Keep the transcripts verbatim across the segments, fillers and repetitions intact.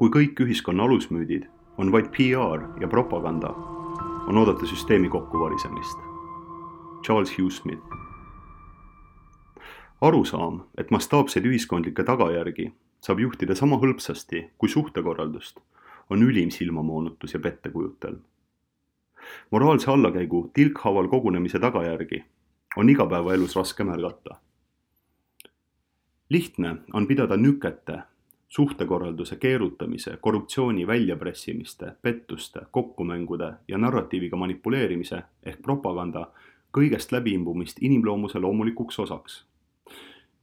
Kui kõik ühiskonna alusmüüdid on vaid P R ja propaganda, on oodata süsteemi kokkuvarisemist. Charles Hugh Smith. Arusaam, et mastaapseid ühiskondlikke tagajärgi saab juhtida sama hõlpsasti kui suhtekorraldust, on ülim silmamoonutus ja pettekujutelm. Moraalse allakäigu tilkhaaval kogunemise tagajärgi on igapäevaelus raske märgata. Lihtne on pidada nükete, suhtekorralduse keerutamise, korruptsiooni väljapressimiste, pettuste, kokkumängude ja narratiiviga manipuleerimise ehk propaganda kõigest läbiimbumist inimloomuse loomulikuks osaks.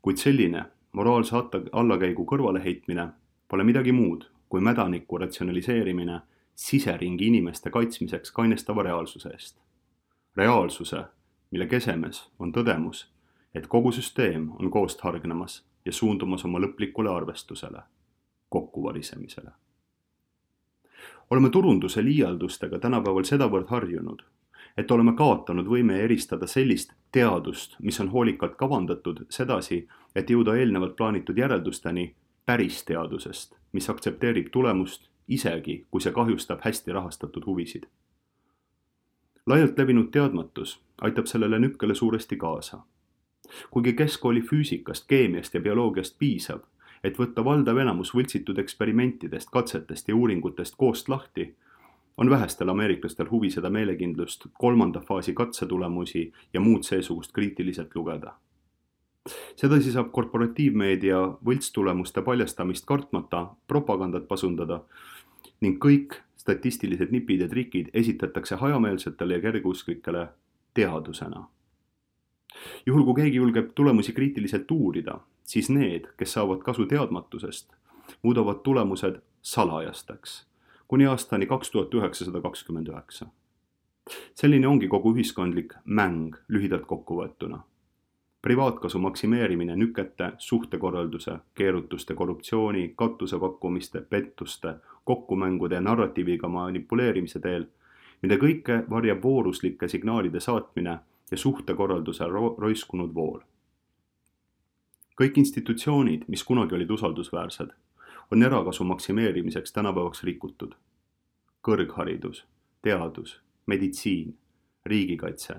Kuid selline moraalse allakäigu kõrvaleheitmine pole midagi muud kui mädaniku ratsionaliseerimine siseringi inimeste kaitsmiseks kainestava reaalsuse eest. Reaalsuse, mille kesemes on tõdemus, et kogu süsteem on koost hargnemas ja suundumas oma lõplikule arvestusele, kokkuvarisemisele. Oleme turunduse liialdustega tänapäeval sedavõrd harjunud, et oleme kaotanud võime eristada sellist teadust, mis on hoolikalt kavandatud sedasi, et jõuda eelnevalt plaanitud järeldusteni päris teadusest, mis aktsepteerib tulemust isegi, kui see kahjustab hästi rahastatud huvisid. Laialt levinud teadmatus aitab sellele nükkele suuresti kaasa. Kuigi keskkooli füüsikast, keemiast ja bioloogiast piisab, et võtta valdav enamus võltsitud eksperimentidest, katsetest ja uuringutest koost lahti, on vähestel ameeriklastel huvi seda meelekindlust, kolmanda faasi katsetulemusi ja muud seesugust kriitiliselt lugeda. Sedasi saab korporatiivmeedia võltstulemuste paljastamist kartmata propagandat pasundada ning kõik statistilised nipid ja trikid esitatakse hajameelsetele ja kergeusklikele teadusena. Juhul kui keegi julgeb tulemusi kriitiliselt uurida, siis need, kes saavad kasu teadmatusest, muudavad tulemused salajasteks kuni aastani kaks tuhat üheksasada kakskümmend üheksa. Selline ongi kogu ühiskondlik mäng lühidalt kokkuvõetuna. Privaatkasu maksimeerimine nükete, suhtekorralduse, keerutuste, korruptsiooni, katusepakkumiste, pettuste, kokkumängude ja narratiiviga manipuleerimise teel, mida kõike varjab vooruslike signaalide saatmine ja suhtekorralduse ro- roiskunud vool. Kõik institutsioonid, mis kunagi olid usaldusväärsed, on erakasu maksimeerimiseks tänapäevaks rikutud. Kõrgharidus, teadus, meditsiin, riigikaitse.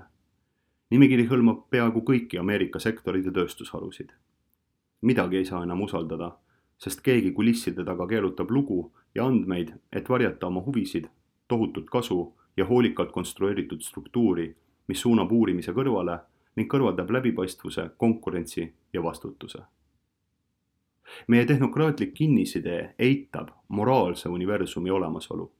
Nimekiri hõlmab peaaegu kõiki Ameerika sektorid ja tööstusharusid. Midagi ei saa enam usaldada, sest keegi kulisside taga keerutab lugu ja andmeid, et varjata oma huvisid, tohutut kasu ja hoolikalt konstrueeritud struktuuri, mis suunab uurimise kõrvale ning kõrvaldab läbipaistvuse, konkurentsi ja vastutuse. Meie tehnokraatlik kinnisidee eitab moraalse universumi olemasolu,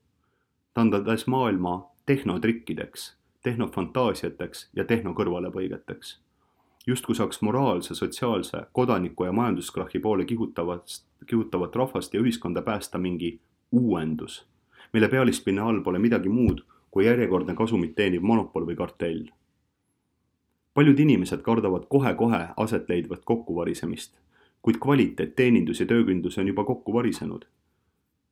tandades maailma tehnotrikkideks, tehnofantaasiateks ja tehnokõrvalepõigeteks. Justkui saaks moraalse, sotsiaalse, kodaniku ja majanduskrahhi poole kihutavat, kihutavat rahvast ja ühiskonda päästa mingi uuendus, mille pealispinna all pole midagi muud kui järjekordne kasumit teeniv monopol või kartell. Paljud inimesed kardavad kohe-kohe aset leidvat kokkuvarisemist, kuid kvaliteet, teenindus ja töökindlus on juba kokku varisenud.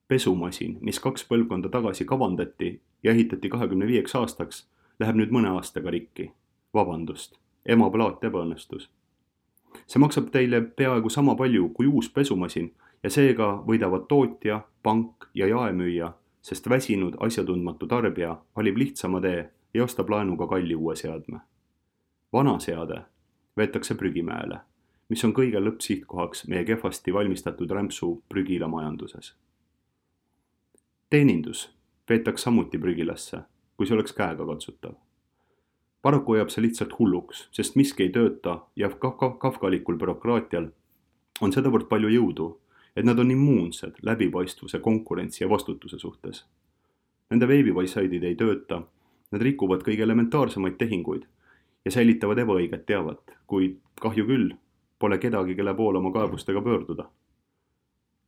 Pesumasin, mis kaks põlvkonda tagasi kavandati ja ehitati kahekümne viieks aastaks, läheb nüüd mõne aastaga rikki. Vabandust, ema plaat ebaõnnestus. See maksab teile peaaegu sama palju kui uus pesumasin ja seega võidavad tootja, pank ja jaemüüja, sest väsinud asjatundmatu tarbija valib lihtsama tee ja ostab laenuga kalli uue seadme. Vana seade veetakse prügimäele, mis on kõige lõppsihtkohaks meie kehvasti valmistatud rämpsu prügila majanduses. Teenindus veetaks samuti prügilasse, kui see oleks käega katsutav. Paraku jääb see lihtsalt hulluks, sest miski ei tööta ja kafkalikul bürokraatial on sedavõrd palju jõudu, et nad on immuunsed läbipaistvuse, konkurentsi ja vastutuse suhtes. Nende veebivaissaidid ei tööta, nad rikuvad kõige elementaarsemaid tehinguid ja säilitavad ebaõiget teavat, kuid kahju küll pole kedagi, kelle poole oma kaebustega pöörduda.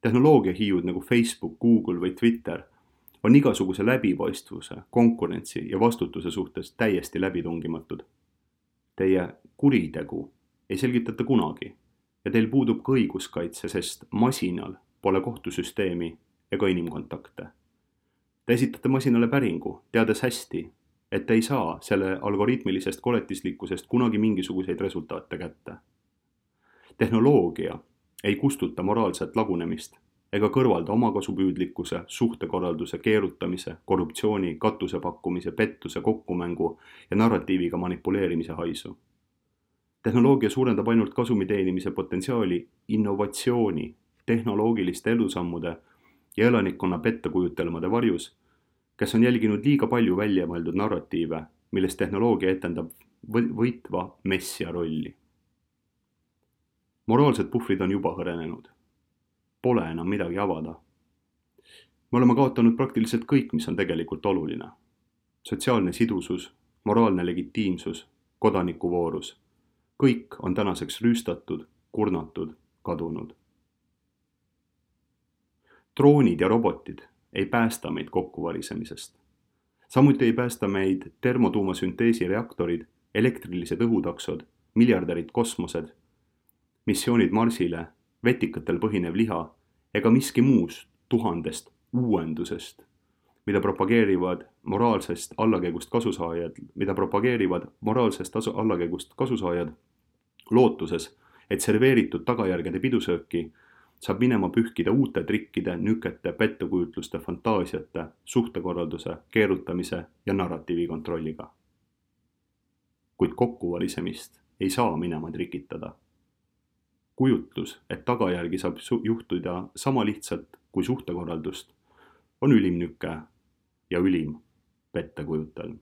Tehnoloogia hiiud nagu Facebook, Google või Twitter on igasuguse läbipaistvuse, konkurentsi ja vastutuse suhtes täiesti läbitungimatud. Teie kuritegu ei selgitata kunagi ja teil puudub ka õiguskaitse, sest masinal pole kohtusüsteemi ega inimkontakte. Te esitate masinale päringu, teades hästi, et te ei saa selle algoritmilisest koletislikkusest kunagi mingisuguseid resultaate kätte. Tehnoloogia ei kustuta moraalset lagunemist ega kõrvalda omakasupüüdlikkuse, suhtekorralduse, keerutamise, korruptsiooni, katuse pakkumise, pettuse, kokkumängu ja narratiiviga manipuleerimise haisu. Tehnoloogia suurendab ainult kasumi teenimise potentsiaali innovatsiooni, tehnoloogiliste edusammude ja elanikkonna pettekujutelmade varjus, kes on jälginud liiga palju välja mõeldud narratiive, milles tehnoloogia etendab võitva messia rolli. Moraalsed puhvrid on juba hõrenenud. Pole enam midagi avada. Me oleme kaotanud praktiliselt kõik, mis on tegelikult oluline. Sotsiaalne sidusus, moraalne legitiimsus, kodanikuvoorus. Kõik on tänaseks rüüstatud, kurnatud, kadunud. Droonid ja robotid ei päästa meid kokkuvarisemisest. Samuti ei päästa meid termotuumasünteesi reaktorid, elektrilised õhutaksod, miljardärid kosmosed, missioonid Marsile, vetikatel põhinev liha ega miski muust tuhandest uuendusest, mida propageerivad moraalsest allakäigust kasusaajad, mida propageerivad moraalsest allakäigust kasusaajad lootuses, et serveeritud tagajärgede pidusööki saab minema pühkida uute trikkide, nükete, pettekujutluste, fantaasiate, suhtekorralduse, keerutamise ja narratiivi kontrolliga. Kuid kokkuvarisemist ei saa minema trikitada. Kujutlus, et tagajärgi saab juhtuda sama lihtsalt kui suhtekorraldust, on ülim nüke ja ülim pettekujutelm.